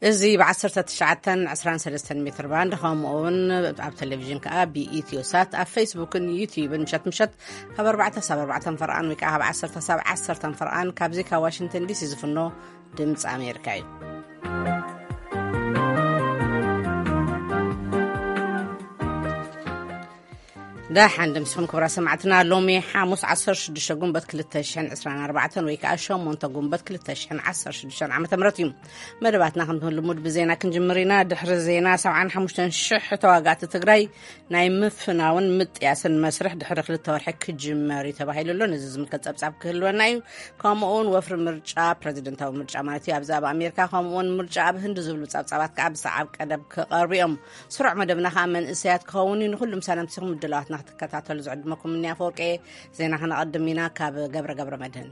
እዚ ብ19 23 ሜትር ባንድ፣ ከምኡ እውን ኣብ ቴሌቪዥን ከኣ ብኢትዮ ሳት፣ ኣብ ፌስቡክን ዩቲዩብን ምሸት ምሸት ካብ ኣርባዕተ ሳብ ኣርባዕተ ፈርቓን ወይ ከኣ ካብ ዓሰርተ ሳብ ዓሰርተ ፈርቓን፣ ካብዚ ካብ ዋሽንግተን ዲሲ ዝፍኖ ድምፂ ኣሜሪካ እዩ። ደሓን ድምስኹም ክብራ ሰማዕትና። ሎሚ ሓሙስ 16 ጉንበት 2024 ወይ ከዓ 8 ጉንበት 2016 ዓመተ ምህረት እዩ። መደባትና ከም ልሙድ ብዜና ክንጅምር ኢና። ድሕሪ ዜና 75,000 ተዋጋእቲ ትግራይ ናይ ምፍናውን ምጥያስን መስርሕ ድሕሪ ክልተ ወርሒ ክጅመር እዩ ተባሂሉ ኣሎ። ነዚ ዝምልከት ጸብጻብ ክህልወና እዩ። ከምኡ እውን ወፍሪ ምርጫ፣ ፕረዚደንታዊ ምርጫ ማለት እዩ፣ ኣብዚ ኣብ ኣሜሪካ፣ ከምኡ እውን ምርጫ ኣብ ህንዲ ዝብሉ ጸብጻባት ከዓ ብሰዓብ ቀደም ክቐርቡ እዮም። ስሩዕ መደብና ከዓ መንእሰያት ክኸውን እዩ። ንኩሉ ምሳና ምሲኹም ምድላዋትና ክትከታተሉ ዝዕድመኩም እኒ ኣፈወርቂ። ዜና ክነቐድም ኢና ካብ ገብረ ገብረ መድህን።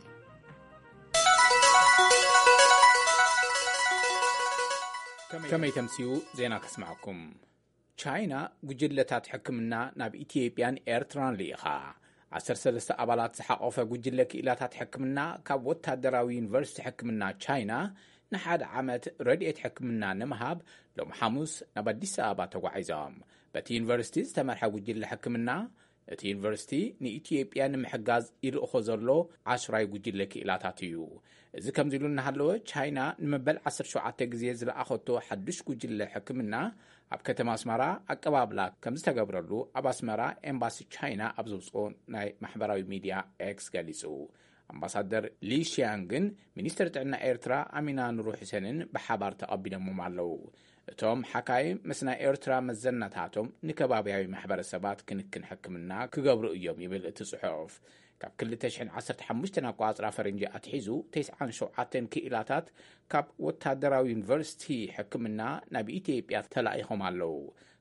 ከመይ ተምስዩ ዜና ከስማዕኩም። ቻይና ጉጅለታት ሕክምና ናብ ኢትዮጵያን ኤርትራን ልኢኻ። 13 ኣባላት ዝሓቆፈ ጉጅለ ክኢላታት ሕክምና ካብ ወታደራዊ ዩኒቨርሲቲ ሕክምና ቻይና ንሓደ ዓመት ረድኤት ሕክምና ንምሃብ ሎም ሓሙስ ናብ ኣዲስ ኣበባ ተጓዒዞም። በቲ ዩኒቨርሲቲ ዝተመርሐ ጉጅለ ሕክምና፣ እቲ ዩኒቨርሲቲ ንኢትዮጵያ ንምሕጋዝ ይልእኾ ዘሎ ዓሽራይ ጉጅለ ክኢላታት እዩ። እዚ ከምዚ ኢሉ እናሃለወ፣ ቻይና ንመበል 17 ግዜ ዝለኣኸቶ ሓዱሽ ጉጅለ ሕክምና ኣብ ከተማ ኣስመራ ኣቀባብላ ከም ዝተገብረሉ ኣብ ኣስመራ ኤምባሲ ቻይና ኣብ ዘውፅኦ ናይ ማሕበራዊ ሚድያ ኤክስ ገሊጹ። ኣምባሳደር ሊ ሺያንግን ሚኒስትር ጥዕና ኤርትራ ኣሚና ኑሩ ሕሴንን ብሓባር ተቐቢሎሞም ኣለዉ። እቶም ሓካይም ምስ ናይ ኤርትራ መዘናታቶም ንከባብያዊ ማሕበረሰባት ክንክን ሕክምና ክገብሩ እዮም ይብል እቲ ጽሑፍ። ካብ 2015 ኣቋጽራ ፈረንጂ ኣትሒዙ 97 ክኢላታት ካብ ወታደራዊ ዩኒቨርሲቲ ሕክምና ናብ ኢትዮጵያ ተላኢኾም ኣለዉ።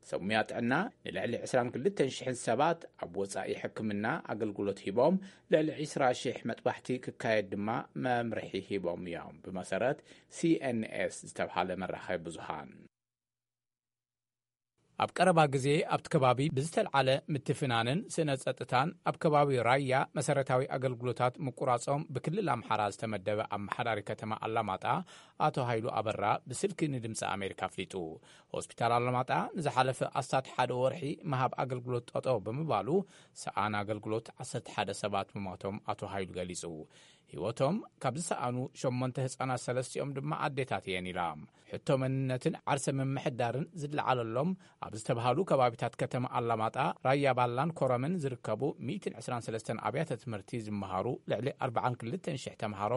ሰብ ሙያ ጥዕና ንልዕሊ 22,000 ሰባት ኣብ ወጻኢ ሕክምና ኣገልግሎት ሂቦም፣ ልዕሊ 20,000 መጥባሕቲ ክካየድ ድማ መምርሒ ሂቦም እዮም፣ ብመሰረት ሲኤንኤስ ዝተብሃለ መራኸቢ ብዙሃን። ኣብ ቀረባ ግዜ ኣብቲ ከባቢ ብዝተልዓለ ምትፍናንን ስነ ጸጥታን ኣብ ከባቢ ራያ መሰረታዊ ኣገልግሎታት ምቁራጾም ብክልል ኣምሓራ ዝተመደበ ኣመሓዳሪ ከተማ ኣላማጣ ኣቶ ሃይሉ ኣበራ ብስልኪ ንድምፂ ኣሜሪካ ኣፍሊጡ። ሆስፒታል ኣላማጣ ንዝሓለፈ ኣስታት ሓደ ወርሒ ምሃብ ኣገልግሎት ጠጠው ብምባሉ ሰኣን ኣገልግሎት 11 ሰባት ምሞቶም ኣቶ ሃይሉ ገሊጹ። ህይወቶም ካብ ዝሰኣኑ ሸሞንተ ህጻናት ሰለስቲኦም ድማ ኣዴታት እየን ኢላ። ሕቶ መንነትን ዓርሰ ምምሕዳርን ዝለዓለሎም ኣብ ዝተባሃሉ ከባቢታት ከተማ ኣላማጣ፣ ራያ ባላን ኮረምን ዝርከቡ 123 ኣብያተ ትምህርቲ ዝመሃሩ ልዕሊ 42,000 ተምሃሮ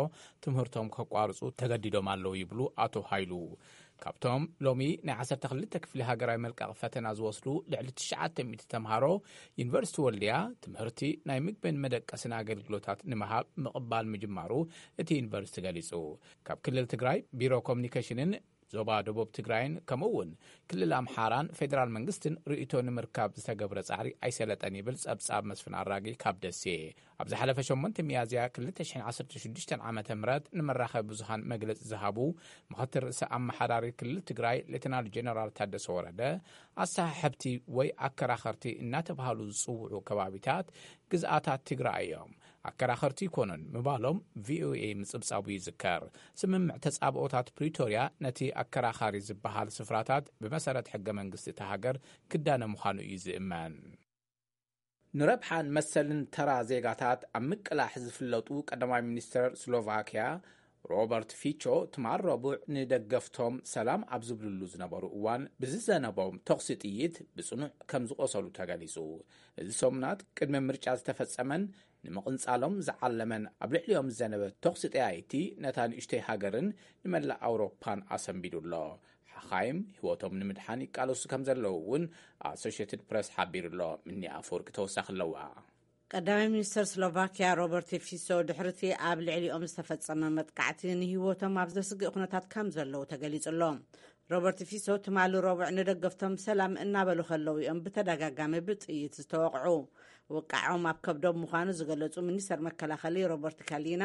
ትምህርቶም ከቋርጹ ተገዲዶም ኣለዉ ይብሉ ኣቶ ሃይሉ። ካብቶም ሎሚ ናይ 12 ክፍሊ ሃገራዊ መልቀቕ ፈተና ዝወስዱ ልዕሊ 900 ተምሃሮ፣ ዩኒቨርሲቲ ወልድያ ትምህርቲ ናይ ምግብን መደቀስን ኣገልግሎታት ንምሃብ ምቕባል ምጅማሩ እቲ ዩኒቨርሲቲ ገሊጹ። ካብ ክልል ትግራይ ቢሮ ኮሚኒኬሽንን ዞባ ደቡብ ትግራይን ከምኡ እውን ክልል ኣምሓራን ፌዴራል መንግስትን ርእይቶ ንምርካብ ዝተገብረ ጻዕሪ ኣይሰለጠን ይብል ጸብጻብ መስፍን ኣራጊ ካብ ደሴ። ኣብ ዝሓለፈ ሸሞንተ ሚያዝያ 2016 ዓመተ ምህረት ንመራኸቢ ብዙሃን መግለጺ ዝሃቡ ምኽትል ርእሰ ኣመሓዳሪ ክልል ትግራይ ሌተናል ጀነራል ታደሰ ወረደ፣ ኣሰሓሕብቲ ወይ ኣከራኸርቲ እናተባሃሉ ዝጽውዑ ከባቢታት ግዝኣታት ትግራይ እዮም፣ ኣከራኸርቲ ኣይኮኑን ምባሎም ቪኦኤ ምጽብጻቡ ይዝከር። ስምምዕ ተጻብኦታት ፕሪቶርያ ነቲ ኣከራኻሪ ዝበሃል ስፍራታት ብመሰረት ሕገ መንግስቲ እታ ሃገር ክዳነ ምዃኑ እዩ ዝእመን። ንረብሓን መሰልን ተራ ዜጋታት ኣብ ምቅላሕ ዝፍለጡ ቀዳማይ ሚኒስተር ስሎቫኪያ ሮበርት ፊቾ ትማል ረቡዕ ንደገፍቶም ሰላም ኣብ ዝብልሉ ዝነበሩ እዋን ብዝዘነበም ተኹሲ ጥይት ብጽኑዕ ከም ዝቖሰሉ ተገሊጹ። እዚ ሰሙናት ቅድሚ ምርጫ ዝተፈጸመን ንምቕንጻሎም ዝዓለመን ኣብ ልዕሊኦም ዝዘነበ ተኹሲ ጠያይቲ ነታ ንእሽተይ ሃገርን ንመላእ ኣውሮፓን ኣሰንቢዱ ኣሎ። ሓኻይም ህይወቶም ንምድሓን ይቃለሱ ከም ዘለዉ እውን ኣሶሽየትድ ፕረስ ሓቢሩ ኣሎ። ምኒ ኣፈወርቂ ተወሳኺ ኣለዋ። ቀዳማይ ሚኒስተር ስሎቫኪያ ሮበርት ፊሶ ድሕርቲ ኣብ ልዕሊኦም ዝተፈጸመ መጥቃዕቲ ንህይወቶም ኣብ ዘስግእ ኩነታት ከም ዘለዉ ተገሊጹ ኣሎ። ሮበርት ፊሶ ትማሊ ረቡዕ ንደገፍቶም ሰላም እናበሉ ከለዉ እዮም ብተደጋጋሚ ብጥይት ዝተወቕዑ። ውቃዖም ኣብ ከብዶም ምዃኑ ዝገለጹ ሚኒስተር መከላኸሊ ሮበርት ካሊና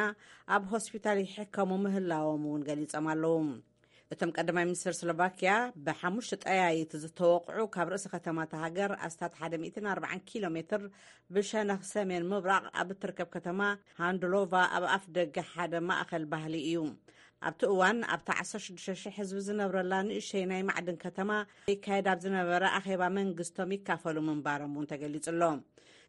ኣብ ሆስፒታል ይሕከሙ ምህላዎም እውን ገሊጾም ኣለዉ። እቶም ቀዳማይ ሚኒስተር ስሎቫኪያ ብሓሙሽተ ጠያይቲ ዝተወቕዑ ካብ ርእሲ ከተማ እታ ሃገር ኣስታት 140 ኪሎ ሜትር ብሸነኽ ሰሜን ምብራቕ ኣብ እትርከብ ከተማ ሃንድሎቫ ኣብ ኣፍ ደገ ሓደ ማእኸል ባህሊ እዩ። ኣብቲ እዋን ኣብታ ዓሰርተ ሽዱሽተ ሽሕ ህዝቢ ዝነብረላ ንእሽተይ ናይ ማዕድን ከተማ ይካየድ ኣብ ዝነበረ ኣኼባ መንግስቶም ይካፈሉ ምንባሮም እውን ተገሊጹ ኣሎ።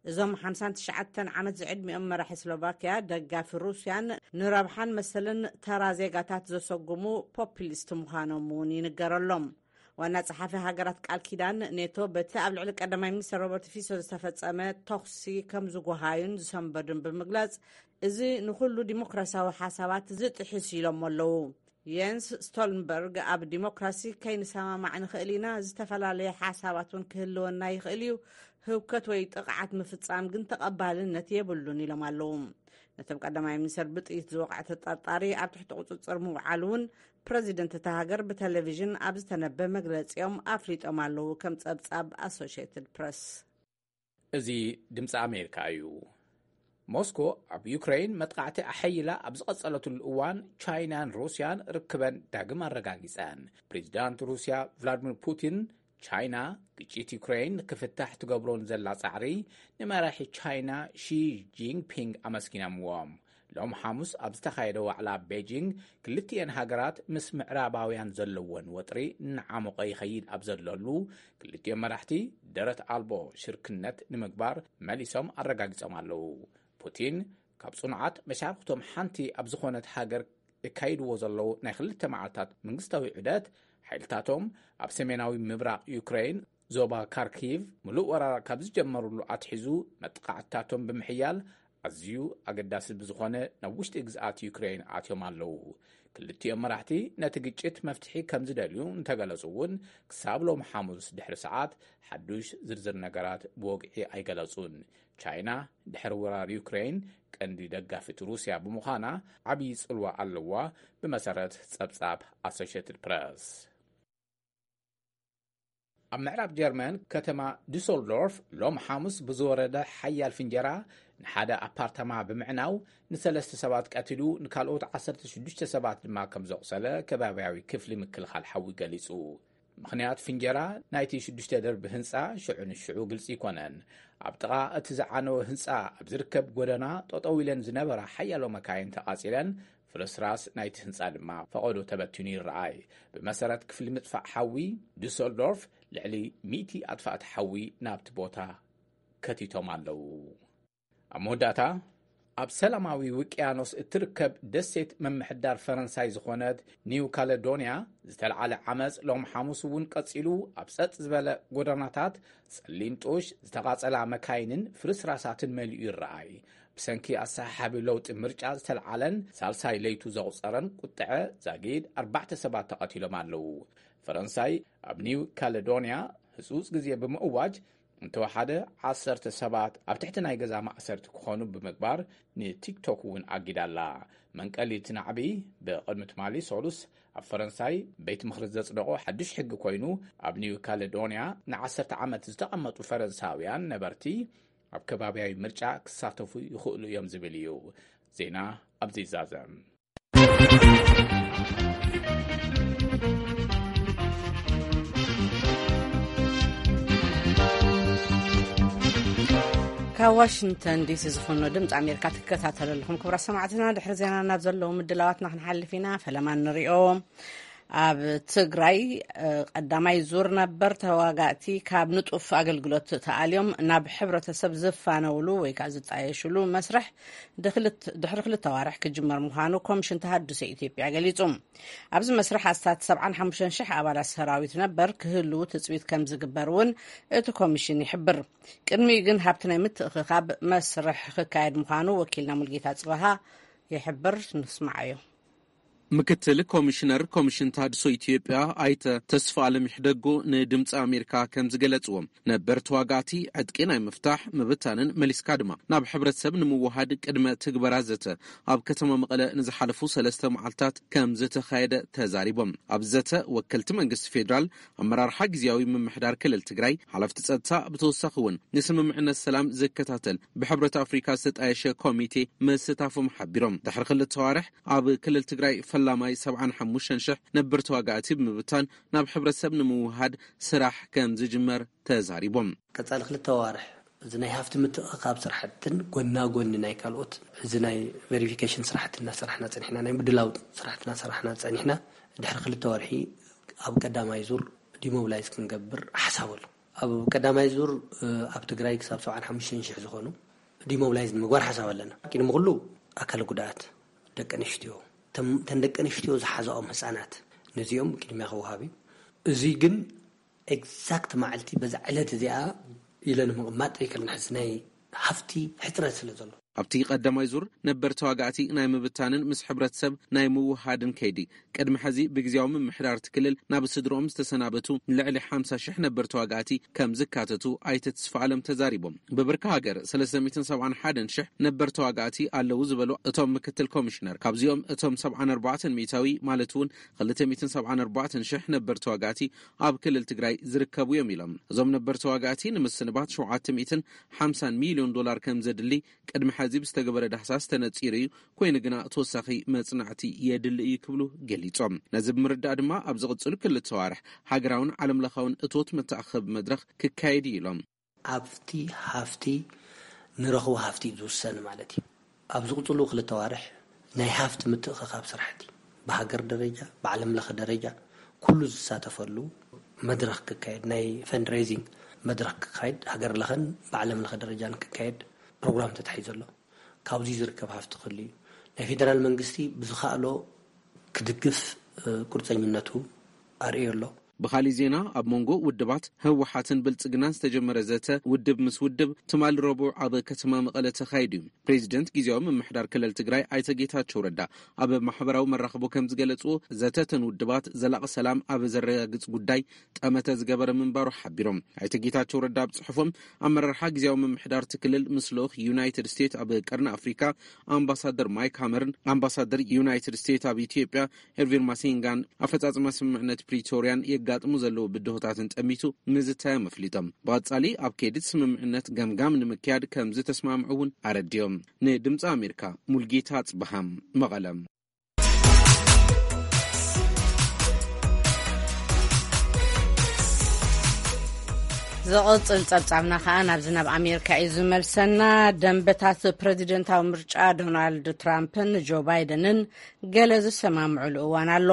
እዞም ሓምሳን ትሽዓተን ዓመት ዝዕድሚኦም መራሒ ስሎቫኪያ ደጋፊ ሩስያን ንረብሓን መሰልን ተራ ዜጋታት ዘሰጉሙ ፖፕሊስት ምዃኖም እውን ይንገረሎም። ዋና ጸሓፊ ሃገራት ቃል ኪዳን ኔቶ በቲ ኣብ ልዕሊ ቀዳማይ ሚኒስትር ሮበርት ፊሶ ዝተፈጸመ ተኹሲ ከም ዝጎሃዩን ዝሰንበዱን ብምግላጽ፣ እዚ ንኹሉ ዲሞክራሲያዊ ሓሳባት ዝጥሕስ ኢሎም ኣለዉ። የንስ ስቶልንበርግ ኣብ ዲሞክራሲ ከይንሰማማዕ ንኽእል ኢና፣ ዝተፈላለየ ሓሳባት እውን ክህልወና ይኽእል እዩ፣ ህውከት ወይ ጥቕዓት ምፍጻም ግን ተቐባልነት የብሉን ኢሎም ኣለዉ። ነቶም ቀዳማይ ሚኒስትር ብጥይት ዝወቕዐ ተጠርጣሪ ኣብ ትሕቲ ቁጽጽር ምውዓሉ እውን ፕረዚደንት እታ ሃገር ብቴሌቪዥን ኣብ ዝተነበ መግለጺኦም ኣፍሊጦም ኣለዉ፣ ከም ጸብጻብ ኣሶሽየትድ ፕረስ። እዚ ድምፂ ኣሜሪካ እዩ። ሞስኮ ኣብ ዩክሬን መጥቃዕቲ ኣሐይላ ኣብ ዝቐጸለትሉ እዋን፣ ቻይናን ሩስያን ርክበን ዳግም ኣረጋጊጸን። ፕሬዚዳንት ሩስያ ቭላድሚር ፑቲን፣ ቻይና ግጭት ዩክሬን ክፍታሕ ትገብሮን ዘላ ጻዕሪ ንመራሒ ቻይና ሺ ጂንፒንግ ኣመስጊኖምዎም። ሎም ሓሙስ ኣብ ዝተኻየደ ዋዕላ ኣብ ቤጂንግ፣ ክልቲኤን ሃገራት ምስ ምዕራባውያን ዘለወን ወጥሪ እናዓሞቐ ይኸይድ ኣብ ዘለሉ፣ ክልቲኦም መራሕቲ ደረት ኣልቦ ሽርክነት ንምግባር መሊሶም ኣረጋጊጾም ኣለዉ። ፑቲን፣ ካብ ጽኑዓት መሻርክቶም ሓንቲ ኣብ ዝኾነት ሃገር እካይድዎ ዘለዉ ናይ ክልተ መዓልታት መንግስታዊ ዑደት፣ ሓይልታቶም ኣብ ሰሜናዊ ምብራቕ ዩክሬን ዞባ ካርኪቭ ምሉእ ወራር ካብ ዝጀመሩሉ ኣትሒዙ መጥቃዕትታቶም ብምሕያል ኣዝዩ ኣገዳሲ ብዝኾነ ናብ ውሽጢ ግዝኣት ዩክሬን ኣትዮም ኣለዉ። ክልቲኦም መራሕቲ ነቲ ግጭት መፍትሒ ከም ዝደልዩ እንተገለጹ እውን፣ ክሳብ ሎም ሓሙስ ድሕሪ ሰዓት ሓዱሽ ዝርዝር ነገራት ብወግዒ ኣይገለጹን። ቻይና ድሕሪ ወራር ዩክሬን ቀንዲ ደጋፊት ሩስያ ብምዃና ዓብዪ ጽልዋ ኣለዋ፣ ብመሰረት ጸብጻብ ኣሶሽየትድ ፕረስ። ኣብ ምዕራብ ጀርመን ከተማ ዱሰልዶርፍ ሎም ሓሙስ ብዝወረደ ሓያል ፍንጀራ ንሓደ ኣፓርታማ ብምዕናው፣ ንሰለስተ ሰባት ቀቲሉ፣ ንካልኦት ዓሰርተ ሽዱሽተ ሰባት ድማ ከም ዘቑሰለ ከባብያዊ ክፍሊ ምክልኻል ሓዊ ገሊጹ። ምኽንያት ፍንጀራ ናይቲ ሽዱሽተ ደርቢ ህንጻ ሽዑ ንሽዑ ግልጺ ኣይኮነን። ኣብ ጥቓ እቲ ዝዓነወ ህንጻ ኣብ ዝርከብ ጎደና ጠጠው ኢለን ዝነበራ ሓያሎ መካይን ተቓጺለን፣ ፍርስራስ ናይቲ ህንጻ ድማ ፈቐዶ ተበቲኑ ይረኣይ። ብመሰረት ክፍሊ ምጥፋእ ሓዊ ዱሰልዶርፍ፣ ልዕሊ ሚእቲ ኣጥፋእቲ ሓዊ ናብቲ ቦታ ከቲቶም ኣለዉ። ኣብ መወዳእታ፣ ኣብ ሰላማዊ ውቅያኖስ እትርከብ ደሴት ምምሕዳር ፈረንሳይ ዝኾነት ኒው ካለዶንያ ዝተልዓለ ዓመፅ ሎም ሓሙስ እውን ቀፂሉ፣ ኣብ ፀጥ ዝበለ ጎደናታት ፀሊም ጡሽ፣ ዝተቓፀላ መካይንን ፍርስራሳትን መሊኡ ይረኣይ። ብሰንኪ ኣሰሓሓቢ ለውጢ ምርጫ ዝተልዓለን ሳልሳይ ለይቱ ዘቑፀረን ቁጥዐ ዛጊድ ኣርባዕተ ሰባት ተቐቲሎም ኣለዉ። ፈረንሳይ ኣብ ኒው ካለዶንያ ህፁፅ ግዜ ብምእዋጅ፣ እንተወሓደ ዓሰርተ ሰባት ኣብ ትሕቲ ናይ ገዛ ማእሰርቲ ክኾኑ ብምግባር፣ ንቲክቶክ እውን ኣጊዳ ኣላ። መንቀሊ እቲ ናዕቢ፣ ብቕድሚ ትማሊ ሰሉስ ኣብ ፈረንሳይ ቤት ምኽሪ ዘጽደቖ ሓድሽ ሕጊ ኮይኑ፣ ኣብ ኒው ካለዶንያ ንዓሰርተ ዓመት ዝተቐመጡ ፈረንሳውያን ነበርቲ ኣብ ከባብያዊ ምርጫ ክሳተፉ ይኽእሉ እዮም ዝብል እዩ። ዜና ኣብዚ ይዛዘም። ካብ ዋሽንግተን ዲሲ ዝኾነ ድምፂ ኣሜሪካ ትከታተሉ ኣለኹም። ክቡራት ሰማዕትና፣ ድሕሪ ዜና ናብ ዘለዉ ምድላዋትና ክንሓልፍ ኢና። ፈለማ ንሪኦ። ኣብ ትግራይ፣ እ፣ ቀዳማይ ዙር ነበር ተዋጋእቲ ካብ ንጡፍ ኣገልግሎት ተኣልዮም ናብ ሕብረተሰብ ዝፋነውሉ ወይ ከዓ ዝጣየሽሉ መስርሕ ድኽልት-፣ ድሕሪ ክልተ ዋርሕ ክጅመር ምዃኑ ኮሚሽን ተሃድሶ ኢትዮጵያ ገሊጹ። ኣብዚ መስርሕ ኣስታት ሰብዓን ሓሙሽተን ሽሕ ኣባላት ሰራዊት ነበር ክህልዉ ትጽቢት ከም ዝግበር እውን እቲ ኮሚሽን ይሕብር። ቅድሚኡ ግን ሃብቲ ናይ ምትእኽኻብ መስርሕ ክካየድ ምዃኑ ወኪልና ሙልጌታ ጽበሃ ይሕብር። ንስማዓዮ። ምክትል ኮሚሽነር ኮሚሽን ተሃድሶ ኢትዮጵያ ኣይተ ተስፋ ኣለም ይሕደጎ ንድምፂ ኣሜሪካ ከም ዝገለፅዎ፣ ነበር ተዋጋእቲ ዕጥቂ ናይ ምፍታሕ፣ ምብታንን መሊስካ ድማ ናብ ሕብረተሰብ ንምውሃድ ቅድመ ትግበራ ዘተ ኣብ ከተማ መቐለ ንዝሓለፉ ሰለስተ መዓልታት ከም ዝተኻየደ ተዛሪቦም። ኣብ ዘተ ወከልቲ መንግስቲ ፌዴራል፣ ኣመራርሓ ግዝያዊ ምምሕዳር ክልል ትግራይ፣ ሓለፍቲ ጸጥታ፣ ብተወሳኺ እውን ንስምምዕነት ሰላም ዝከታተል ብሕብረት ኣፍሪካ ዝተጣየሸ ኮሚቴ ምስታፎም ሓቢሮም። ድሕሪ ክልተ ዋርሕ ኣብ ክልል ትግራይ ፈላማይ ሰብዓን ሓሙሽተን ሽሕ ነበር ተዋጋእቲ ብምብታን ናብ ሕብረተሰብ ንምውሃድ ስራሕ ከም ዝጅመር ተዛሪቦም። ቀጻሊ ክልተ ዋርሕ እዚ ናይ ሃፍቲ ምትእኻብ ስራሕትን ጎና ጎኒ ናይ ካልኦት፣ እዚ ናይ ቬሪፊኬሽን ስራሕቲ እናሰራሕና ጸኒሕና፣ ናይ ምድላው ስራሕቲ እናሰራሕና ጸኒሕና፣ ድሕሪ ክልተ ወርሒ ኣብ ቀዳማይ ዙር ዲሞብላይዝ ክንገብር ሓሳብ ኣሎ። ኣብ ቀዳማይ ዙር ኣብ ትግራይ ክሳብ ሰብዓን ሓሙሽተን ሽሕ ዝኾኑ ዲሞብላይዝ ንምግባር ሓሳብ ኣለና። ቅድሚ ኩሉ ኣካል ጉዳኣት፣ ደቂ ኣንስትዮ፣ ተን ደቂ ኣንስትዮ ዝሓዛኦም ህፃናት፣ ነዚኦም ቅድሚያ ክወሃብ እዩ። እዚ ግን ኤግዛክት መዓልቲ በዛ ዕለት እዚኣ ኢለ ንምቕማጥ ኣይክእልን። ሕዚ ናይ ሃፍቲ ሕፅረት ስለ ዘሎ። ኣብቲ ቀዳማይ ዙር ነበር ተዋጋእቲ ናይ ምብታንን ምስ ሕብረተሰብ ናይ ምውሃድን ከይዲ፣ ቅድሚ ሕዚ ብግዜያዊ ምምሕዳር እቲ ክልል ናብ ስድሮኦም ዝተሰናበቱ ልዕሊ ሓምሳ ሽሕ ነበር ተዋጋእቲ ከም ዝካተቱ ኣይተ ተስፋ ኣለም ተዛሪቦም። ብብርኪ ሃገር ሰለስተ ሚእትን ሰብዓን ሓደን ሽሕ ነበር ተዋጋእቲ ኣለዉ ዝበሉ እቶም ምክትል ኮሚሽነር፣ ካብዚኦም እቶም ሰብዓን ኣርባዕተን ሚእታዊ ማለት እውን ክልተ ሚእትን ሰብዓን ኣርባዕተን ሽሕ ነበር ተዋጋእቲ ኣብ ክልል ትግራይ ዝርከቡ እዮም ኢሎም። እዞም ነበር ተዋጋእቲ ንምስንባት ሸውዓተ ሚእትን ሓምሳን ሚልዮን ዶላር ከም ዘድሊ ቅድሚ ሕዚ ብዝተገበረ ዳህሳስ ተነጺሩ እዩ። ኮይኑ ግና ተወሳኺ መጽናዕቲ የድሊ እዩ ክብሉ ገሊጾም። ነዚ ብምርዳእ ድማ ኣብ ዝቕጽሉ ክልተ ዋርሕ ሃገራውን ዓለም ለኻውን እቶት መተኣኸቢ መድረኽ ክካየድ እዩ ኢሎም። ኣብቲ ሃፍቲ ንረኽቦ ሃፍቲ እዩ ዝውሰን ማለት እዩ። ኣብ ዝቕጽሉ ክልተ ዋርሕ ናይ ሃፍቲ ምትእኽኻብ ስራሕቲ ብሃገር ደረጃ፣ ብዓለም ለኸ ደረጃ ኩሉ ዝሳተፈሉ መድረኽ ክካየድ፣ ናይ ፈንድሬዚንግ መድረኽ ክካየድ፣ ሃገር ለኸን ብዓለም ለኸ ደረጃን ክካየድ ፕሮግራም ተታሒዙ ኣሎ። ካብዚ ዝርከብ ሃፍቲ ክህሉ እዩ። ናይ ፌደራል መንግስቲ ብዝኸኣሎ ክድግፍ፣ እ፣ ቁርፀኝነቱ ኣርእዩ ኣሎ። ብኻሊእ ዜና፣ ኣብ መንጎ ውድባት ህወሓትን ብልጽግናን ዝተጀመረ ዘተ ውድብ ምስ ውድብ ትማሊ ረቡዕ ኣብ ከተማ መቐለ ተኻይዱ እዩ። ፕሬዚደንት ግዜያዊ ምምሕዳር ክልል ትግራይ ኣይተ ጌታቸው ረዳ ኣብ ማሕበራዊ መራኽቦ ከም ዝገለጽዎ፣ ዘተ እተን ውድባት ዘላቒ ሰላም ኣብ ዘረጋግጽ ጉዳይ ጠመተ ዝገበረ ምንባሩ ሓቢሮም። ኣይተ ጌታቸው ረዳ ኣብ ጽሑፎም፣ ኣመራርሓ ግዜያዊ ምምሕዳር እቲ ክልል ምስ ልኡኽ ዩናይትድ ስቴትስ ኣብ ቀርኒ ኣፍሪካ ኣምባሳደር ማይክ ሃመርን ኣምባሳደር ዩናይትድ ስቴትስ ኣብ ኢትዮጵያ ኤርቪን ማሲንጋን ኣፈጻጽማ ስምምዕነት ፕሪቶርያን የጋጥሙ ዘለዉ ብድሆታትን ጠሚቱ ምዝታዮም ኣፍሊጦም። ብቐጻሊ ኣብ ከይዲ እቲ ስምምዕነት ገምጋም ንምክያድ ከም ዝተስማምዑ እውን ኣረዲኦም። ንድምፂ ኣሜሪካ ሙልጌታ ኣጽብሃም፣ መቐለም። ዝቕጽል ጸብጻብና ከኣ ናብዚ ናብ ኣሜሪካ እዩ ዝመልሰና። ደንበታት ፕረዚደንታዊ ምርጫ ዶናልድ ትራምፕን ጆ ባይደንን ገለ ዝሰማምዑሉ እዋን ኣሎ።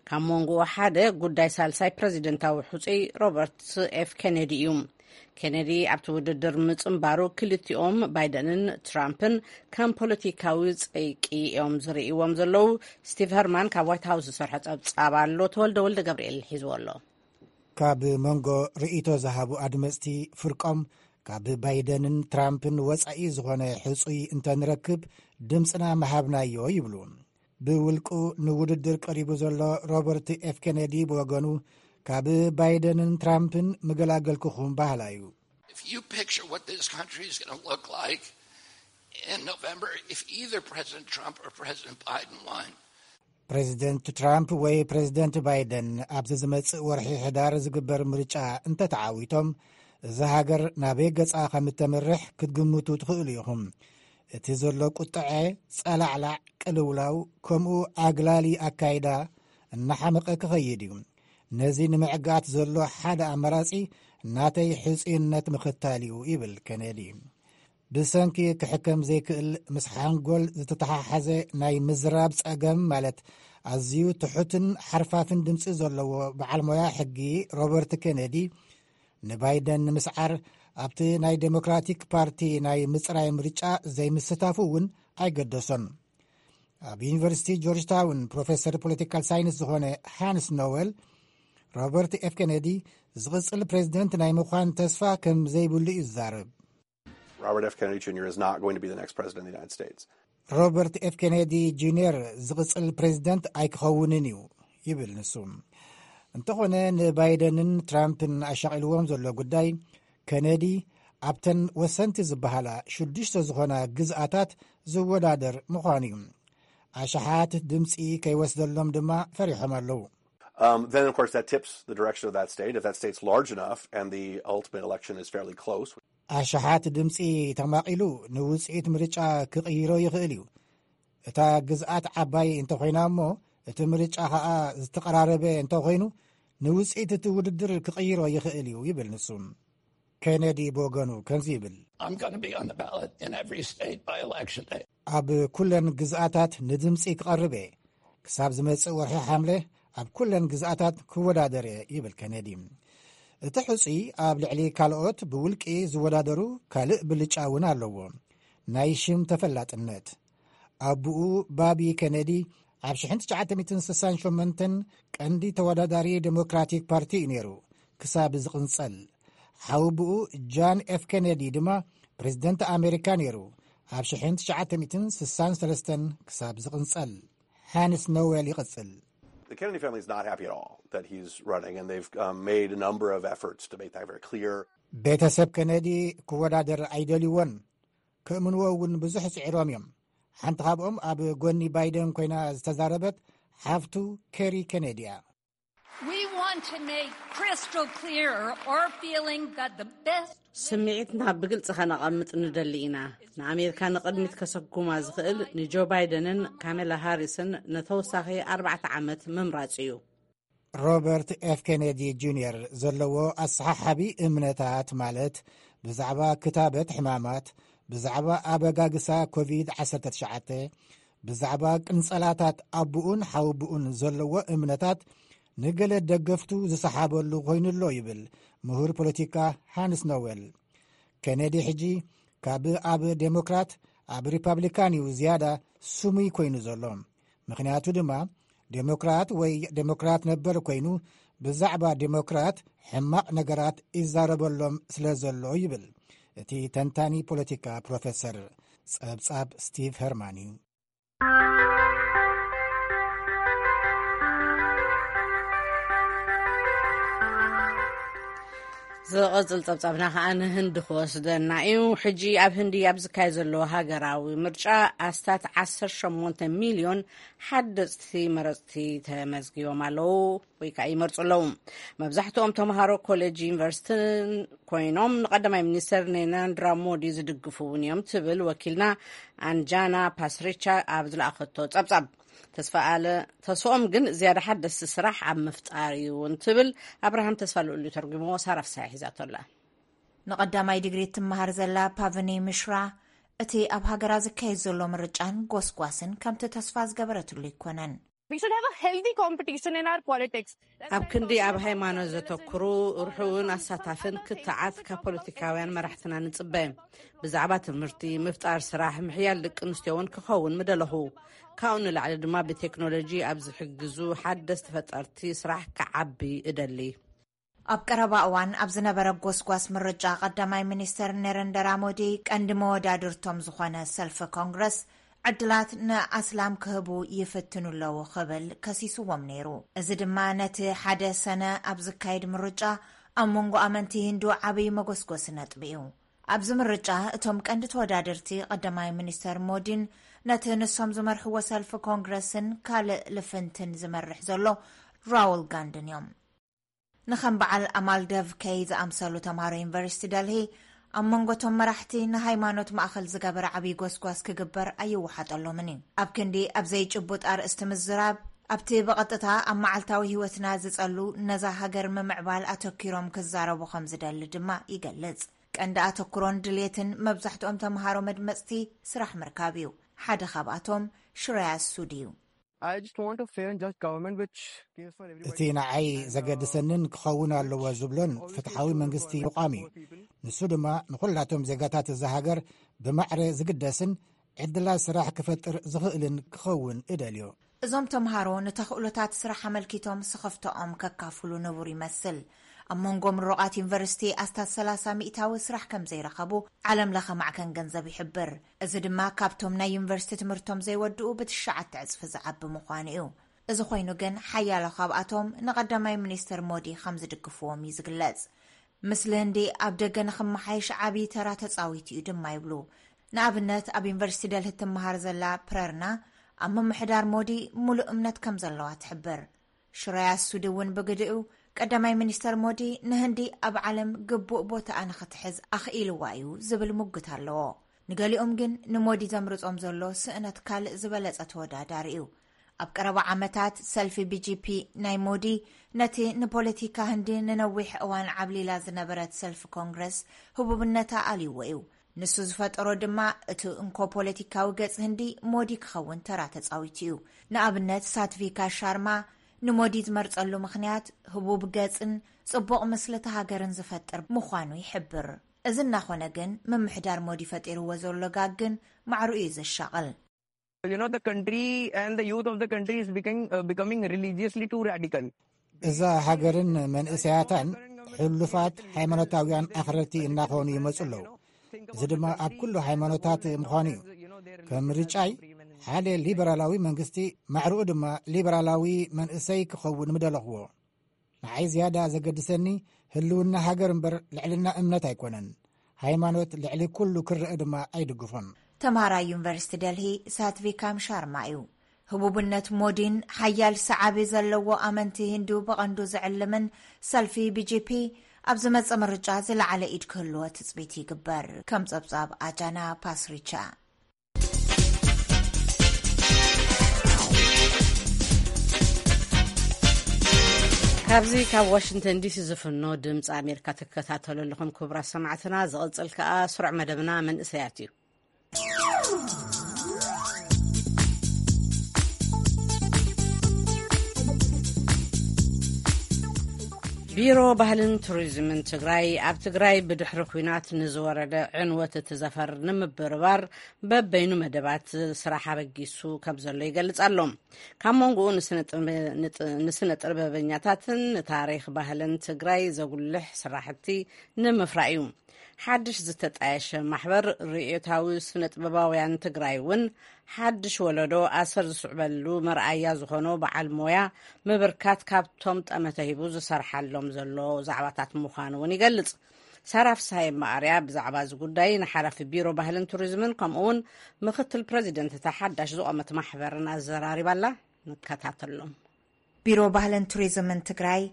ካብ መንጎኡ ሓደ ጉዳይ ሳልሳይ ፕረዚደንታዊ ሕጹይ ሮበርት ኤፍ ኬኔዲ እዩ። ኬኔዲ ኣብቲ ውድድር ምጽንባሩ ክልቲኦም ባይደንን ትራምፕን ከም ፖለቲካዊ ጸይቂ እዮም ዝርእይዎም ዘለዉ። ስቲቭ ሀርማን ካብ ዋይት ሃውስ ዝሰርሖ ጸብጻብ ኣሎ። ተወልደ ወልደ ገብርኤል ሒዝዎ ኣሎ። ካብ መንጎ ርእይቶ ዝሃቡ ኣድመጽቲ ፍርቆም ካብ ባይደንን ትራምፕን ወጻኢ ዝኾነ ሕጹይ እንተንረክብ ድምጽና ምሃብናዮ ይብሉ። ብውልቁ ንውድድር ቀሪቡ ዘሎ ሮበርት ኤፍ ኬነዲ ብወገኑ ካብ ባይደንን ትራምፕን ምገላገልኩኹም በሃላይ እዩ። If you picture what this country is going to look like in November, if either President Trump or President Biden won, ፕሬዚደንት ትራምፕ ወይ ፕሬዚደንት ባይደን ኣብዚ ዝመጽእ ወርሒ ሕዳር ዝግበር ምርጫ እንተተዓዊቶም፣ እዛ ሃገር ናበይ ገጻ ከም እተምርሕ ክትግምቱ ትኽእሉ ኢኹም። እቲ ዘሎ ቁጥዐ፣ ጸላዕላዕ፣ ቅልውላው፣ ከምኡ ኣግላሊ ኣካይዳ እናሓመቐ ክኸይድ እዩ። ነዚ ንምዕጋት ዘሎ ሓደ ኣማራጺ ናተይ ሕጹይነት ምኽታል እዩ ይብል ኬነዲ። ብሰንኪ ክሕከም ዘይክእል ምስ ሓንጎል ዝተተሓሓዘ ናይ ምዝራብ ጸገም፣ ማለት ኣዝዩ ትሑትን ሓርፋፍን ድምጺ ዘለዎ በዓል ሞያ ሕጊ ሮበርት ኬነዲ፣ ንባይደን ንምስዓር ኣብቲ ናይ ዴሞክራቲክ ፓርቲ ናይ ምጽራይ ምርጫ ዘይምስታፉ እውን ኣይገደሶን። ኣብ ዩኒቨርሲቲ ጆርጅ ታውን ፕሮፌሰር ፖለቲካል ሳይንስ ዝኾነ ሃንስ ኖወል፣ ሮበርት ኤፍ ኬነዲ ዝቕጽል ፕሬዚደንት ናይ ምዃን ተስፋ ከም ዘይብሉ እዩ ዝዛረብ። Robert F. Kennedy Junior is not going to be the next president of the United States. ሮበርት ኤፍ ኬነዲ ጁኒየር ዝቕጽል ፕሬዚደንት ኣይክኸውንን እዩ ይብል ንሱ። እንተኾነ ንባይደንን ትራምፕን ኣሻቒልዎም ዘሎ ጉዳይ፣ ኬነዲ ኣብተን ወሰንቲ ዝበሃላ ሽዱሽተ ዝኾና ግዝኣታት ዝወዳደር ምዃኑ እዩ። ኣሽሓት ድምፂ ከይወስደሎም ድማ ፈሪሖም ኣለዉ። Um, then, of course, that tips the direction of that state. If that state's large enough and the ultimate election is fairly close, ኣሽሓት ድምፂ ተማቒሉ ንውፅኢት ምርጫ ክቕይሮ ይኽእል እዩ። እታ ግዝኣት ዓባይ እንተኾይና እሞ፣ እቲ ምርጫ ኸዓ ዝተቐራረበ እንተኾይኑ፣ ንውፅኢት እቲ ውድድር ክቕይሮ ይኽእል እዩ ይብል ንሱ። ኬነዲ ብወገኑ ከምዚ ይብል። I'm going to be on the ballot in every state by election day. ኣብ ኩለን ግዝኣታት ንድምፂ ክቐርብ እየ። ክሳብ ዝመፅእ ወርሒ ሓምለ ኣብ ኩለን ግዝኣታት ክወዳደር እየ፣ ይብል ኬነዲ። እቲ ሕፁይ ኣብ ልዕሊ ካልኦት ብውልቂ ዝወዳደሩ ካልእ ብልጫ እውን ኣለዎ፣ ናይ ሽም ተፈላጥነት። ኣቡኡ ባቢ ኬነዲ ኣብ ሽሕን ትሽዓተ ሚእትን ስሳን ሸሞንተን ቀንዲ ተወዳዳሪ ዴሞክራቲክ ፓርቲ እዩ ነይሩ፣ ክሳብ ዝቕንጸል። ሓወቡኡ ጃን ኤፍ ኬነዲ ድማ ፕሬዝደንት ኣሜሪካ ነይሩ፣ ኣብ ሽሕን ትሽዓተ ሚእትን ስሳን ሰለስተን ክሳብ ዝቕንጸል። ሃንስ ኖዌል ይቕጽል። The Kennedy family is not happy at all that he's running, and they've um, made a number of efforts to make that very clear. ቤተሰብ ኬነዲ ክወዳደር ኣይደልይዎን። ክእምንዎ እውን ብዙሕ ጽዒሮም እዮም። ሓንቲ ካብኦም ኣብ ጎኒ ባይደን ኮይና ዝተዛረበት ሓፍቱ ኬሪ ኬነዲ እያ። We want to make crystal clear our feeling that the best ስምዒትና ብግልጺ ከነቐምጥ ንደሊ ኢና። ንኣሜሪካ ንቕድሚት ከሰጉማ ዝኽእል ንጆ ባይደንን ካሜላ ሃሪስን ንተወሳኺ ኣርባዕተ ዓመት ምምራጽ እዩ። ሮበርት ኤፍ ኬነዲ ጁንየር ዘለዎ ኣሰሓሓቢ እምነታት፣ ማለት ብዛዕባ ክታበት ሕማማት፣ ብዛዕባ ኣበጋግሳ ኮቪድ ዓሰርተ ትሽዓተ፣ ብዛዕባ ቅንጸላታት ኣቡኡን ሓውቡኡን ዘለዎ እምነታት ንገለ ደገፍቱ ዝሰሓበሉ ኮይኑሎ ይብል ምሁር ፖለቲካ ሃንስ ኖዌል። ኬነዲ ሕጂ ካብ ኣብ ዴሞክራት ኣብ ሪፓብሊካን እዩ ዝያዳ ስሙይ ኮይኑ ዘሎ። ምኽንያቱ ድማ ዴሞክራት ወይ ዴሞክራት ነበር ኮይኑ ብዛዕባ ዴሞክራት ሕማቕ ነገራት ይዛረበሎም ስለ ዘሎ ይብል እቲ ተንታኒ ፖለቲካ ፕሮፌሰር ጸብጻብ ስቲቭ ሄርማን እዩ። ዝቕጽል ጸብጻብና ከኣ ንህንዲ ክወስደና እዩ። ሕጂ ኣብ ህንዲ ኣብ ዝካየድ ዘሎ ሃገራዊ ምርጫ ኣስታት ዓሰርተ ሸሞንተ ሚልዮን ሓደጽቲ መረጽቲ ተመዝጊቦም ኣለዉ ወይ ከዓ ይመርጹ ኣለዉ። መብዛሕትኦም ተምሃሮ ኮሌጅ ዩኒቨርሲቲን ኮይኖም ንቀዳማይ ሚኒስተር ኔናንድራ ሞዲ ዝድግፉ እውን እዮም ትብል ወኪልና ኣንጃና ፓስሪቻ ኣብ ዝለኣኸቶ ጸብጻብ። ተስፋ ኣለ ተስኦም ግን ዝያዳ ሓደስቲ ስራሕ ኣብ ምፍጣር እዩ እንትብል ኣብርሃም ተስፋ ልኡሉ ተርጉሞ ሳራፍሳይ ሒዛቶ ኣላ። ንቐዳማይ ዲግሪ እትመሃር ዘላ ፓቭኒ ምሽራ፣ እቲ ኣብ ሃገራ ዝካየድ ዘሎ ምርጫን ጎስጓስን ከምቲ ተስፋ ዝገበረትሉ ኣይኮነን። ኣብ ክንዲ ኣብ ሃይማኖት ዘተኩሩ፣ ርሑውን ኣሳታፍን ክትዓት ካብ ፖለቲካውያን መራሕትና ንጽበ። ብዛዕባ ትምህርቲ፣ ምፍጣር ስራሕ፣ ምሕያል ደቂ ኣንስትዮ እውን ክኸውን ምደለኹ። ካብኡ ንላዕሊ ድማ ብቴክኖሎጂ ኣብ ዝሕግዙ ሓደስቲ ፈጠርቲ ስራሕ ክዓቢ እደሊ። ኣብ ቀረባ እዋን ኣብ ዝነበረ ጎስጓስ ምርጫ ቀዳማይ ሚኒስተር ነረንደራ ሞዲ ቀንዲ መወዳድርቶም ዝኾነ ሰልፊ ኮንግረስ ዕድላት ንኣስላም ክህቡ ይፍትኑ ኣለዉ ክብል ከሲስዎም ነይሩ። እዚ ድማ ነቲ ሓደ ሰነ ኣብ ዝካየድ ምርጫ ኣብ መንጎ ኣመንቲ ሂንዱ ዓብዪ መጎስጎሲ ነጥቢ እዩ። ኣብዚ ምርጫ እቶም ቀንዲ ተወዳደርቲ ቀዳማይ ሚኒስተር ሞዲን ነቲ ንሶም ዝመርሕዎ ሰልፊ ኮንግረስን ካልእ ልፍንትን ዝመርሕ ዘሎ ራውል ጋንድን እዮም። ንኸም በዓል ኣማል ደቭ ከይ ዝኣምሰሉ ተምሃሮ ዩኒቨርሲቲ ደልሂ ኣብ መንጎቶም መራሕቲ ንሃይማኖት ማእኸል ዝገበረ ዓብዪ ጎስጓስ ክግበር ኣይወሓጠሎምን እዩ። ኣብ ክንዲ ኣብ ዘይጭቡጥ ኣርእስቲ ምዝራብ፣ ኣብቲ ብቐጥታ ኣብ መዓልታዊ ህይወትና ዝጸሉ ነዛ ሃገር ምምዕባል ኣተኪሮም ክዛረቡ ከም ዝደሊ ድማ ይገልጽ። ቀንዲ ኣተኩሮን ድሌትን መብዛሕትኦም ተምሃሮ መድመጽቲ ስራሕ ምርካብ እዩ። ሓደ ካብኣቶም ሽረያ ሱድ እዩ። I just want a fair and just government which cares for everybody. እቲ ንዓይ ዘገድሰንን ክኸውን ኣለዎ ዝብሎን ፍትሓዊ መንግስቲ ምቋም እዩ። ንሱ ድማ ንኹላቶም ዜጋታት እዛ ሃገር ብማዕረ ዝግደስን ዕድላት ስራሕ ክፈጥር ዝኽእልን ክኸውን እደልዮ። እዞም ተምሃሮ ንተኽእሎታት ስራሕ ኣመልኪቶም ስኽፍታኦም ከካፍሉ ንቡር ይመስል። ኣብ መንጎ ምሩቓት ዩኒቨርሲቲ ኣስታት ሰላሳ ሚእታዊ ስራሕ ከም ዘይረኸቡ ዓለም ለኸ ማዕከን ገንዘብ ይሕብር። እዚ ድማ ካብቶም ናይ ዩኒቨርሲቲ ትምህርቶም ዘይወድኡ ብትሽዓተ ዕጽፊ ዝዓቢ ምዃኑ እዩ። እዚ ኮይኑ ግን ሓያሎ ካብኣቶም ንቐዳማይ ሚኒስትር ሞዲ ከም ዝድግፍዎም እዩ ዝግለጽ። ምስሊ ህንዲ ኣብ ደገ ንኽመሓየሽ ዓብዪ ተራ ተጻዊቱ እዩ ድማ ይብሉ። ንኣብነት ኣብ ዩኒቨርሲቲ ደልሂ ትመሃር ዘላ ፕረርና ኣብ ምምሕዳር ሞዲ ሙሉእ እምነት ከም ዘለዋ ትሕብር። ሽረያ ሱዲ እውን ብግዲኡ ቀዳማይ ሚኒስተር ሞዲ ንህንዲ ኣብ ዓለም ግቡእ ቦታኣ ንኽትሕዝ ኣኽኢልዋ እዩ ዝብል ሙግት ኣለዎ። ንገሊኦም ግን ንሞዲ ዘምርጾም ዘሎ ስእነት ካልእ ዝበለጸ ተወዳዳሪ እዩ። ኣብ ቀረባ ዓመታት ሰልፊ ቢጂፒ ናይ ሞዲ ነቲ ንፖለቲካ ህንዲ ንነዊሕ እዋን ዓብሊላ ዝነበረት ሰልፊ ኮንግረስ ህቡብነታ ኣልይዎ እዩ። ንሱ ዝፈጠሮ ድማ እቲ እንኮ ፖለቲካዊ ገጽ ህንዲ ሞዲ ክኸውን ተራ ተጻዊቱ እዩ። ንኣብነት ሳትቪካ ሻርማ ንሞዲ ዝመርጸሉ ምኽንያት ህቡብ ገጽን ጽቡቕ ምስልቲ ሃገርን ዝፈጥር ምዃኑ ይሕብር። እዚ እናኾነ ግን ምምሕዳር ሞዲ ፈጢርዎ ዘሎ ጋግ ግን ማዕሩ እዩ ዘሻቕል። You know, the country and the youth of the country is becoming, uh, becoming religiously too radical. እዛ ሃገርን መንእሰያታን ሕሉፋት ሃይማኖታውያን ኣኽረርቲ እናኾኑ ይመጹ ኣለዉ። እዚ ድማ ኣብ ኩሉ ሃይማኖታት ምዃኑ እዩ። ከም ምርጫይ ሓደ ሊበራላዊ መንግስቲ፣ ማዕርኡ ድማ ሊበራላዊ መንእሰይ ክኸውን ምደለኽዎ። ንዓይ ዝያዳ ዘገድሰኒ ህልውና ሃገር እምበር ልዕልና እምነት ኣይኮነን። ሃይማኖት ልዕሊ ኩሉ ክረአ ድማ ኣይድግፎን። ተምሃራይ ዩኒቨርሲቲ ደልሂ ሳትቪካም ሻርማ እዩ። ህቡብነት ሞዲን ሓያል ሰዓቢ ዘለዎ ኣመንቲ ሂንዱ ብቐንዱ ዝዕልምን ሰልፊ ቢጂፒ ኣብ ዝመጽእ ምርጫ ዝለዓለ ኢድ ክህልዎ ትጽቢት ይግበር። ከም ጸብጻብ ኣጃና ፓስሪቻ። ካብዚ ካብ ዋሽንግተን ዲሲ ዝፍኖ ድምፂ ኣሜሪካ ትከታተሉ ኣለኹም ክቡራት ሰማዕትና። ዝቕፅል ከኣ ስሩዕ መደብና መንእሰያት እዩ። ቢሮ ባህልን ቱሪዝምን ትግራይ ኣብ ትግራይ ብድሕሪ ኲናት ንዝወረደ ዕንወት እቲ ዘፈር ንምብርባር በበይኑ መደባት ስራሕ ኣበጊሱ ከም ዘሎ ይገልጽ ኣሎ። ካብ መንጎኡ ንስነ ጥበበኛታትን ንታሪኽ ባህልን ትግራይ ዘጉልሕ ስራሕቲ ንምፍራይ እዩ። ሓድሽ ዝተጣየሸ ማሕበር ርእዮታዊ ስነ ጥበባውያን ትግራይ እውን ሓድሽ ወለዶ ኣሰር ዝስዕበሉ መርኣያ ዝኾኖ በዓል ሞያ ምብርካት ካብቶም ጠመተ ሂቡ ዝሰርሓሎም ዘሎ ዛዕባታት ምዃኑ እውን ይገልጽ። ሳራ ፍስሃየ መኣርያ ብዛዕባ እዚ ጉዳይ ንሓላፊ ቢሮ ባህልን ቱሪዝምን ከምኡ እውን ምክትል ፕረዚደንት እታ ሓዳሽ ዝቖመት ማሕበርን ኣዘራሪባላ። ንከታተሎም። ቢሮ ባህልን ቱሪዝምን ትግራይ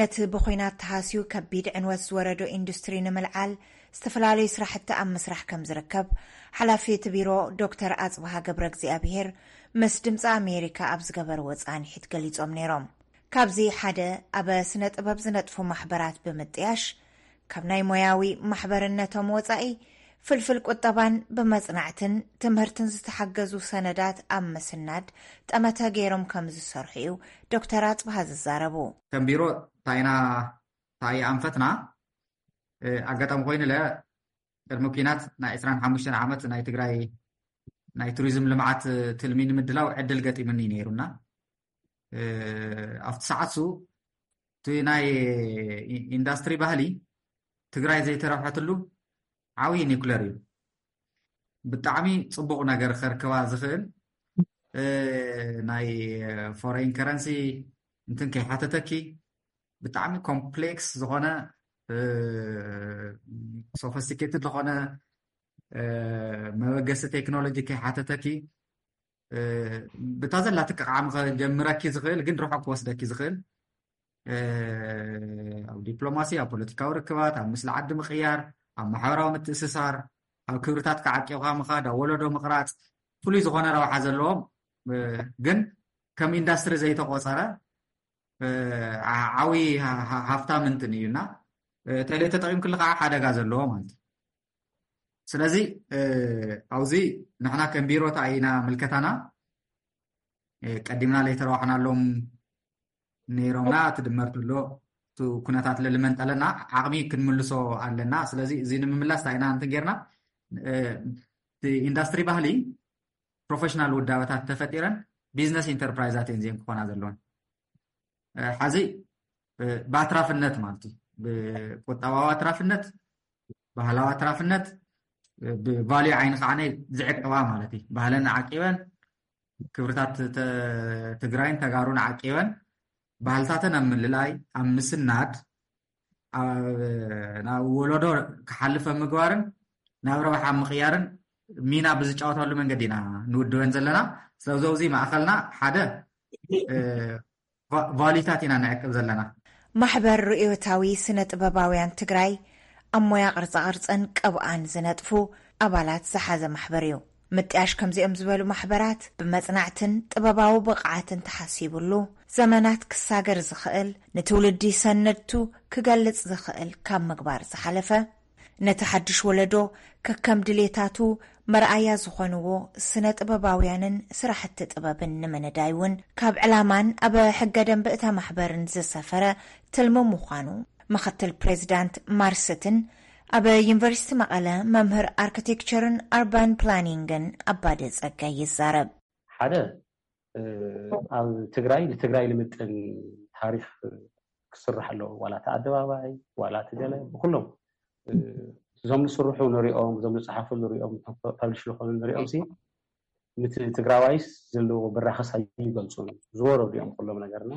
ነቲ ብኹናት ተሃስዩ ከቢድ ዕንወት ዝወረዶ ኢንዱስትሪ ንምልዓል ዝተፈላለዩ ስራሕቲ ኣብ ምስራሕ ከም ዝርከብ ሓላፊ እቲ ቢሮ ዶክተር ኣፅብሃ ገብረ እግዚኣብሄር ምስ ድምፂ ኣሜሪካ ኣብ ዝገበርዎ ፃንሒት ገሊፆም ነይሮም። ካብዚ ሓደ ኣብ ስነ ጥበብ ዝነጥፉ ማሕበራት ብምጥያሽ ካብ ናይ ሞያዊ ማሕበርነቶም ወፃኢ ፍልፍል ቁጠባን ብመፅናዕትን ትምህርትን ዝተሓገዙ ሰነዳት ኣብ ምስናድ ጠመተ ገይሮም ከም ዝሰርሑ እዩ ዶክተር ኣፅብሃ ዝዛረቡ። ከም ቢሮ ታይና ታይ ኣንፈትና ኣጋጣሚ ኮይኑለ ቅድሚ ኲናት ናይ ዕስራን ሓሙሽተን ዓመት ናይ ትግራይ ናይ ቱሪዝም ልምዓት ትልሚ ንምድላው ዕድል ገጢምኒ ነይሩና። ኣብቲ ሰዓት ሱ እቲ ናይ ኢንዳስትሪ ባህሊ ትግራይ ዘይተረብሐትሉ ዓብዪ ኒኩለር እዩ። ብጣዕሚ ፅቡቕ ነገር ከርክባ ዝኽእል ናይ ፎሬን ከረንሲ እንትን ከይሓተተኪ ብጣዕሚ ኮምፕሌክስ ዝኾነ ሶፈስቲኬትድ ዝኾነ መበገሲ ቴክኖሎጂ ከይሓተተኪ ብታ ዘላትኪ ዓቕሚ ከጀምረኪ ዝኽእል ግን ርሑቕ ክወስደኪ ዝኽእል ኣብ ዲፕሎማሲ፣ ኣብ ፖለቲካዊ ርክባት፣ ኣብ ምስሊ ዓዲ ምቕያር፣ ኣብ ማሕበራዊ ምትእስሳር፣ ኣብ ክብርታት ክዓቂብካ ምኻድ፣ ኣብ ወለዶ ምቕራፅ ፍሉይ ዝኾነ ረብሓ ዘለዎም ግን ከም ኢንዳስትሪ ዘይተቆፀረ ዓብዪ ሃፍታም እንትን እዩ እና ተለይ ተጠቂምክሉ ከዓ ሓደጋ ዘለዎ ማለት እዩ። ስለዚ ኣብዚ ንሕና ከም ቢሮ እንታይ ኢና ምልከታና ቀዲምና ለይተረዋሕናሎም ነይሮምና እቲ ድመር ተሎ እቲ ኩነታት ለልመንጠለና ዓቕሚ ክንምልሶ ኣለና። ስለዚ እዚ ንምምላስ እንታይ ኢና እንትን ጌርና ኢንዳስትሪ ባህሊ ፕሮፌሽናል ውዳበታት ተፈጢረን ቢዝነስ ኢንተርፕራይዛት እየን ዜን ክኾና ዘለወን። ሓዚ ብኣትራፍነት ማለት እዩ። ብቁጠባዊ ኣትራፍነት፣ ባህላዊ ኣትራፍነት፣ ብቫልዩ ዓይኒ ከዓ ዝዕቅባ ማለት እዩ። ባህለን ዓቂበን፣ ክብርታት ትግራይን ተጋሩን ዓቂበን፣ ባህልታተን ኣብ ምልላይ፣ ኣብ ምስናድ፣ ናብ ወለዶ ክሓልፍ ኣብ ምግባርን ናብ ረብሓ ኣብ ምቕያርን ሚና ብዝጫወታሉ መንገዲ ኢና ንውድበን ዘለና። ስለዚ ኣብዚ ማእኸልና ሓደ ቫሊታት ኢና ንዕቅብ ዘለና። ማሕበር ርእዮታዊ ስነ ጥበባውያን ትግራይ ኣብ ሞያ ቅርፃ ቅርፅን ቅብኣን ዝነጥፉ ኣባላት ዝሓዘ ማሕበር እዩ። ምጥያሽ ከምዚኦም ዝበሉ ማሕበራት ብመጽናዕትን ጥበባዊ ብቕዓትን ተሓሲብሉ፣ ዘመናት ክሳገር ዝኽእል፣ ንትውልዲ ሰነድቱ ክገልጽ ዝኽእል ካብ ምግባር ዝሓለፈ፣ ነቲ ሓድሽ ወለዶ ከከም ድሌታቱ መርኣያ ዝኾንዎ ስነ ጥበባውያንን ስራሕቲ ጥበብን ንምንዳይ እውን ካብ ዕላማን ኣብ ሕገ ደንቢ እታ ማሕበርን ዝሰፈረ ትልሚ ምዃኑ ምኽትል ፕሬዚዳንት ማርሰትን ኣብ ዩኒቨርሲቲ መቐለ መምህር ኣርክቴክቸርን ኣርባን ፕላኒንግን ኣባደ ጸጋይ ይዛረብ። ሓደ ኣብ ትግራይ ንትግራይ ልምጥን ታሪክ ክስራሕ ኣለዎ። ዋላ እቲ ኣደባባይ ዋላ እቲ ገለ ብኩሎም እዞም ዝስርሑ ንሪኦም፣ እዞም ዝፀሓፉ ንሪኦም፣ ፐብሊሽ ዝኾኑ ንሪኦም ሲ ምት ትግራዋይስ ዘለዎ ብራኸስ ኣይገልፁን። ዝወረዱ እዮም ኩሎም ነገርና።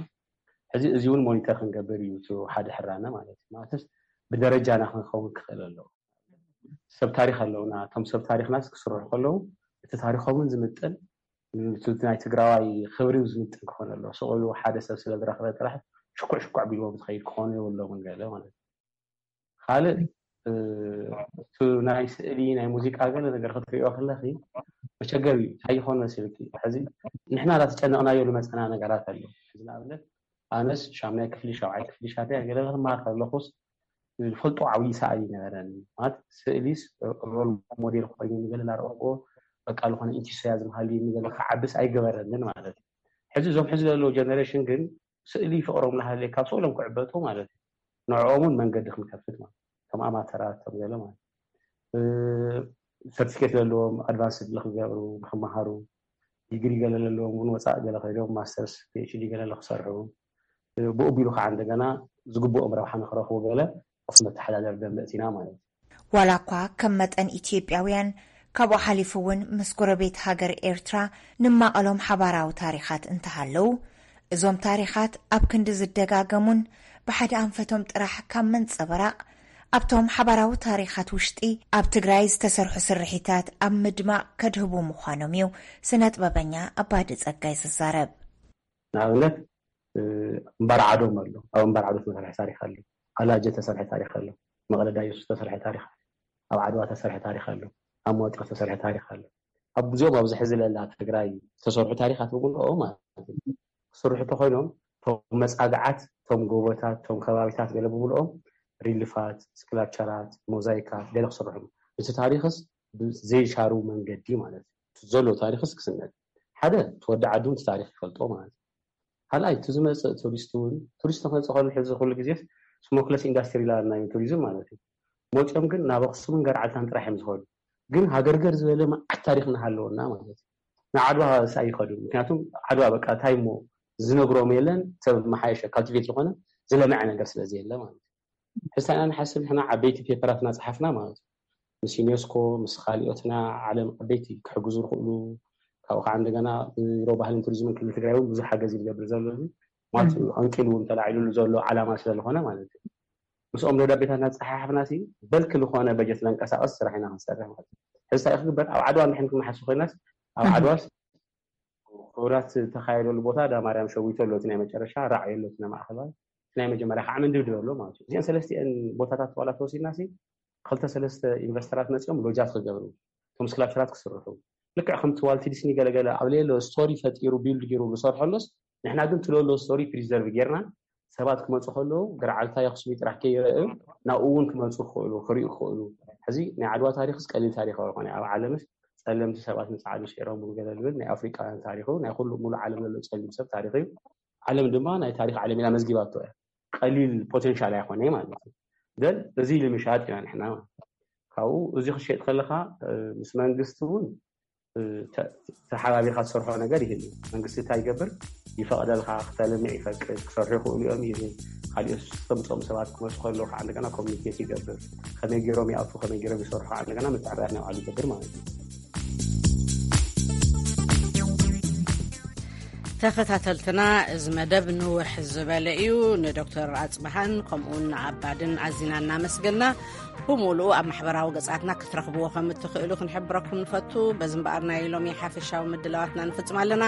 ሕዚ እዚ እውን ሞኒተር ክንገብር እዩ እቲ ሓደ ሕራነ ማለት እዩ። ማለትስ ብደረጃና ክንኸውን ክኽእል ኣለዎ። ሰብ ታሪክ ኣለውና። እቶም ሰብ ታሪክናስ ክስርሑ ከለዉ እቲ ታሪኮምን ዝምጥን፣ እቲ ናይ ትግራዋይ ክብሪ ዝምጥን ክኾን ኣለዎ። ስቕሉ ሓደ ሰብ ስለ ዝረኽበ ጥራሕ ሽኩዕ ሽኩዕ ቢልዎም ዝኸይድ ክኾኑ የብሎምን ገለ ማለት እዩ። ካልእ እቲ ናይ ስእሊ ናይ ሙዚቃ ገለ ነገር ክትሪኦ ከለኺ መቸገር እዩ። እንታይ ይኾን መሲልኪ? ሕዚ ንሕና ዳተጨነቕናዮ ዝመፀና ነገራት ኣሎ። ሕዚ ንኣብነት ኣነስ ሻምናይ ክፍሊ ሻብዓይ ክፍሊ ሻድያ ገለ ክማር ከለኹስ ዝፈልጦ ዓብዪ ሰኣሊ ነበረኒ። ማለት ስእሊስ ሮል ሞዴል ኮይኑ ንገለ እናረኣኹ በቃ ዝኾነ ኢንቲስያዝም ሃልዩ ንገለ ክዓብስ ኣይገበረንን ማለት እዩ። ሕዚ እዞም ሕዚ ዘለዉ ጀነሬሽን ግን ስእሊ ፍቕሮም እናሃለየ ካብ ስእሎም ክዕበጡ ማለት እዩ። ንዕኦም እውን መንገዲ ክንከፍት ማለት እቶም ኣማተራት እቶም ገለ ማለት ሰርቲፊኬት ዘለዎም ኣድቫንስ ንክገብሩ ንክመሃሩ ዲግሪ ገለ ዘለዎም እውን ወፃእ ገለ ከይዶም ማስተርስ ፒኤችዲ ገለ ንክሰርሑ ብኡ ቢሉ ከዓ እንደገና ዝግብኦም ረብሓ ንክረኽቡ ገለ ኣብቲ መተሓዳደሪ ደንበ እቲና ማለት እዩ። ዋላ እኳ ከም መጠን ኢትዮጵያውያን ካብኡ ሓሊፉ እውን ምስ ጎረቤት ሃገር ኤርትራ ንማቐሎም ሓባራዊ ታሪኻት እንተሃለዉ፣ እዞም ታሪኻት ኣብ ክንዲ ዝደጋገሙን ብሓደ ኣንፈቶም ጥራሕ ካብ ምንጽብራቕ ኣብቶም ሓባራዊ ታሪኻት ውሽጢ ኣብ ትግራይ ዝተሰርሑ ስርሒታት ኣብ ምድማቕ ከድህቡ ምዃኖም እዩ ስነ ጥበበኛ ኣባዲ ጸጋይ ዝዛረብ። ንኣብነት እምባር ዓዶም ኣሎ። ኣብ እምባር ዓዶ ዝተሰርሐ ታሪክ ኣሎ። ኣላጀ ዝተሰርሐ ታሪክ ኣሎ። መቐለ ዳየሱ ዝተሰርሐ ታሪክ ኣሎ። ኣብ ዓድዋ ዝተሰርሐ ታሪክ ኣሎ። ኣብ መዋጥር ዝተሰርሐ ታሪክ ኣሎ። ኣብ ዚኦም ኣብዚ ሕዚ ለላ ትግራይ ዝተሰርሑ ታሪካት ብምልኦም ማለት እዩ ክስርሑ ተኮይኖም እቶም መፃግዓት እቶም ጎቦታት እቶም ከባቢታት ገለ ብምልኦም ሪልፋት ስክላፕቸራት ሞዛይካት ገለ ክስርሑ እቲ ታሪክስ ብዘይሻሩ መንገዲ ማለት እዩ ዘሎ ታሪክስ ክስነድ ሓደ እቲ ወዲ ዓዱ እቲ ታሪክ ይፈልጦ ማለት እዩ ካልኣይ እቲ ዝመፅእ ቱሪስት እውን ቱሪስት ክመፅእ ከሉ ሕዚ ኩሉ ግዜ ስሞክለስ ኢንዳስትሪ ላና እዩ ቱሪዝም ማለት እዩ መፅኦም ግን ናብ ኣክሱምን ገርዓልታን ጥራሕ እዮም ዝኸዱ ግን ሃገርገር ዝበለ መዓት ታሪክ እናሃለወና ማለት እዩ ንዓድዋ ሳ ይኸዱ ምክንያቱም ዓድዋ በቃ እንታይ እሞ ዝነግሮም የለን ሰብ መሓየሸ ካልቲቬት ዝኾነ ዝለመዐ ነገር ስለ ዘየለ ማለት እዩ ሕሳና ንሓስብ ንሕና ዓበይቲ ፔፐራት እናፀሓፍና ማለት እዩ ምስ ዩኔስኮ ምስ ካሊኦትና ዓለም ዓበይቲ ክሕግዙ ዝኽእሉ ካብኡ ከዓ እንደገና ቢሮ ባህልን ቱሪዝምን ክልል ትግራይ እውን ብዙሕ ሓገዝ ይገብር ዘሎ ማለት እዩ ኣንቂሉ እውን ተላዒሉሉ ዘሎ ዓላማ ስለዝኾነ ማለት እዩ ምስኦም ደብዳቤታት እናፀሓሓፍና ሲ በልክ ዝኾነ በጀት ለንቀሳቀስ ስራሕ ኢና ክንሰርሕ ማለት እዩ ሕዚ እንታይ ክግበር ኣብ ዓድዋ እንድሕን ክንሓስብ ኮይናስ ኣብ ዓድዋስ ክብራት ዝተካየደሉ ቦታ ዳ ማርያም ሸዊቶ ኣሎ እቲ ናይ መጨረሻ ራዕ ኣሎ እቲ ናይ ማእከላይ እቲ ናይ መጀመርያ ከዓ መንድብድብ ኣሎ ማለት እዩ እዚአን ሰለስቲአን ቦታታት ዋላ ተወሲድና ሲ ክልተ ሰለስተ ኢንቨስተራት መፂኦም ሎጃት ክገብሩ እቶም ስክላፕቸራት ክስርሑ ልክዕ ከምቲ ዋልት ዲስኒ ገለገለ ኣብ ሌሎ ስቶሪ ፈጢሩ ቢልድ ገይሩ ዝሰርሐሎስ ንሕና ግን ትለሎ ስቶሪ ፕሪዘርቭ ጌርና ሰባት ክመፁ ከለዉ ገርዓልታ የክሱሚ ጥራሕ ከይረአዩ ናብኡ እውን ክመፁ ክኽእሉ ክሪኡ ክኽእሉ ሕዚ ናይ ዓድዋ ታሪክስ ቀሊል ታሪክ ኣይኮነ ኣብ ዓለምስ ፀለምቲ ሰባት ንፃዕዱ ስዒሮም ገለ ዝብል ናይ ኣፍሪቃውያን ታሪክ ናይ ኩሉ ሙሉእ ዓለም ዘሎ ፀሊም ሰብ ታሪክ እዩ ዓለም ድማ ናይ ታሪክ ዓለም ኢላ መዝጊባቶ እያ ቀሊል ፖቴንሻል ኣይኮነ ማለት እዩ ግን እዚ ኢሉ ምሻጥ ኢና ንሕና ካብኡ እዚ ክሸጥ ከለካ ምስ መንግስቲ እውን ተሓባቢርካ ትሰርሖ ነገር ይህል መንግስቲ እንታይ ይገብር ይፈቅደልካ ክተልምዕ ይፈቅድ ክሰርሑ ይኽእሉ እዮም ይብል ካሊኦት ዝተምፅኦም ሰባት ክመፁ ከለዉ ከዓ እንደገና ኮሚኒኬት ይገብር ከመይ ገይሮም ይኣቱ ከመይ ገይሮም ይሰርሑ ከዓ እንደገና ምትዕርራይ ናይ ባዕሉ ይገብር ማለት እዩ ተኸታተልትና፣ እዚ መደብ ንውሕ ዝበለ እዩ። ንዶክተር ኣጽብሃን ከምኡውን ንኣባድን ኣዚና እናመስገና፣ ብምሉኡ ኣብ ማሕበራዊ ገጻትና ክትረኽብዎ ከም እትኽእሉ ክንሕብረኩም ንፈቱ። በዚ እምበኣር ናይ ሎሚ ሓፈሻዊ ምድላዋትና ንፍጽም ኣለና።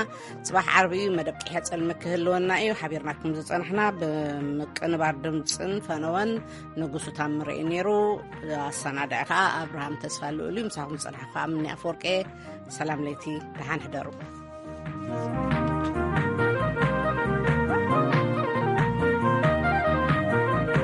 ጽባሕ ዓርቢ እዩ፣ መደብ ቅሕያ ጸልሚ ክህልወና እዩ። ሓቢርናኩም ዝጸናሕና ብምቅንባር ድምጽን ፈነወን ንጉሱ ታምረ እዩ ነይሩ። ኣሰናዳኢ ከኣ ኣብርሃም ተስፋ ልኡል እዩ። ምሳኹም ዝጸናሕኩ ከኣ ምኒ ኣፈወርቂ። ሰላም ለይቲ፣ ደሓን ሕደሩ።